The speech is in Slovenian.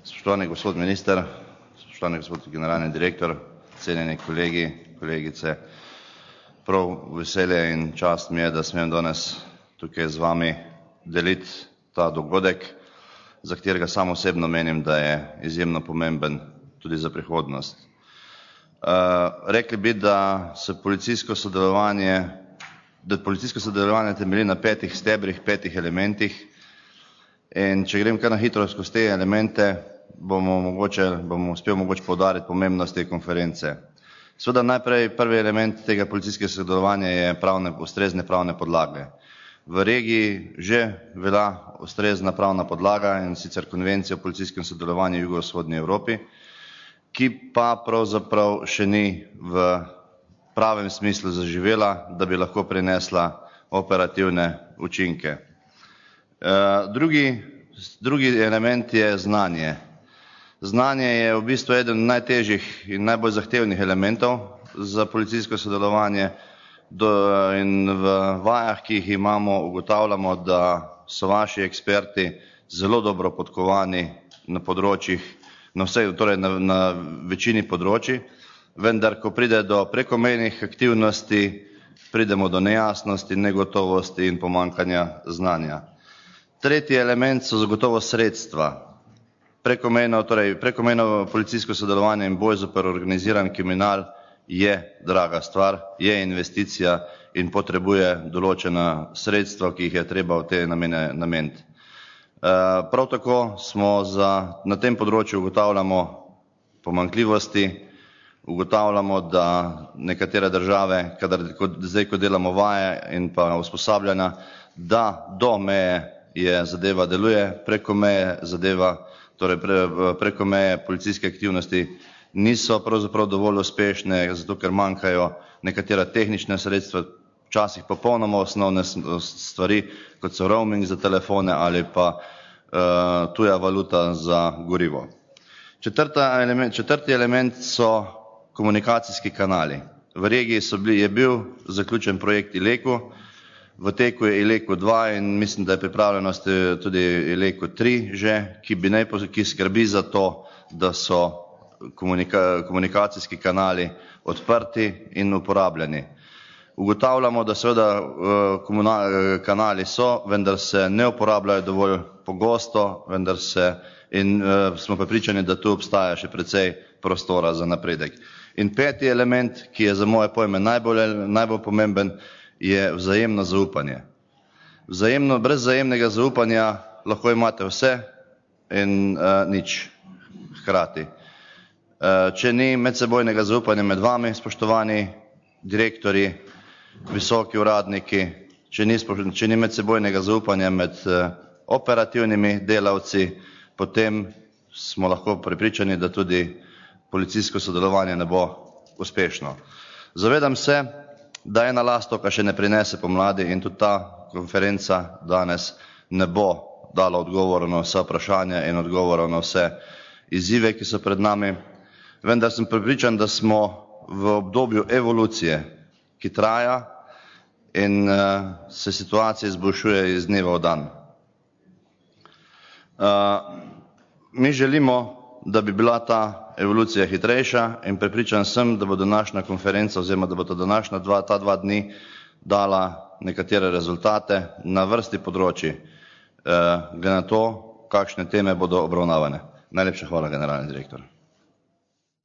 Spoštovani gospod minister, spoštovani gospod generalni direktor, cenjeni kolegi, kolegice, prav veselje in čast mi je, da smem danes tukaj z vami deliti ta dogodek, za katerega sam osebno menim, da je izjemno pomemben tudi za prihodnost. Rekli bi, da policijsko sodelovanje temelji na 5 stebrih, 5 elementih, in če grem kar na hitro skozi te elemente, bom uspel mogoče poudariti pomembnost te konference. Seveda najprej prvi element tega policijskega sodelovanja je ustrezne pravne podlage. V regiji že velja ustrezna pravna podlaga, in sicer Konvencija o policijskem sodelovanju v jugovzhodni Evropi, ki pa pravzaprav še ni v pravem smislu zaživela, da bi lahko prinesla operativne učinke. Drugi element je znanje. Znanje je v bistvu eden najtežjih in najbolj zahtevnih elementov za policijsko sodelovanje, in v vajah, ki jih imamo, ugotavljamo, da so vaši eksperti zelo dobro podkovani na področjih, na večini področij, vendar ko pride do prekomejnih aktivnosti, pridemo do nejasnosti, negotovosti in pomanjkanja znanja. Tretji element so zagotovo sredstva. Prekomejno policijsko sodelovanje in boj zoper organiziran kriminal je draga stvar, je investicija in potrebuje določena sredstva, ki jih je treba v te namene nameniti. Prav tako na tem področju ugotavljamo pomanjkljivosti, ugotavljamo, da nekatere države, ko delamo vaje in pa usposabljanja, da do meje zadeva deluje, preko meje preko meje policijske aktivnosti niso pravzaprav dovolj uspešne, zato ker manjkajo nekatera tehnična sredstva, včasih popolnoma osnovne stvari, kot so roaming za telefone ali pa tuja valuta za gorivo. Četrti element so komunikacijski kanali. V regiji je bil zaključen projekt Ileku, v teku je Ileku 2 in mislim, da je pripravljenost tudi Ileku 3 že, ki skrbi za to, da so komunikacijski kanali odprti in uporabljeni. Ugotavljamo, da seveda kanali so, vendar se ne uporabljajo dovolj pogosto, in smo prepričani, da tu obstaja še precej prostora za napredek. In peti element, ki je za moje pojme najbolj pomemben, je vzajemno zaupanje. Brez vzajemnega zaupanja lahko imate vse in nič hkrati. Če ni medsebojnega zaupanja med vami, spoštovani direktorji, visoki uradniki, če ni medsebojnega zaupanja med operativnimi delavci, potem smo lahko prepričani, da tudi policijsko sodelovanje ne bo uspešno. Zavedam se, da ena lastovka še ne prinese pomladi in tudi ta konferenca danes ne bo dala odgovorov na vsa vprašanja in odgovorov na vse izzive, ki so pred nami, vendar sem prepričan, da smo v obdobju evolucije, ki traja in se situacija izboljšuje iz dneva v dan. Mi želimo, da bi bila ta evolucija hitrejša, in prepričan sem, da bo današnja konferenca oziroma da bo ta dva dni dala nekatere rezultate na vrsti področij, glede na to, kakšne teme bodo obravnavane. Najlepša hvala, generalni direktor.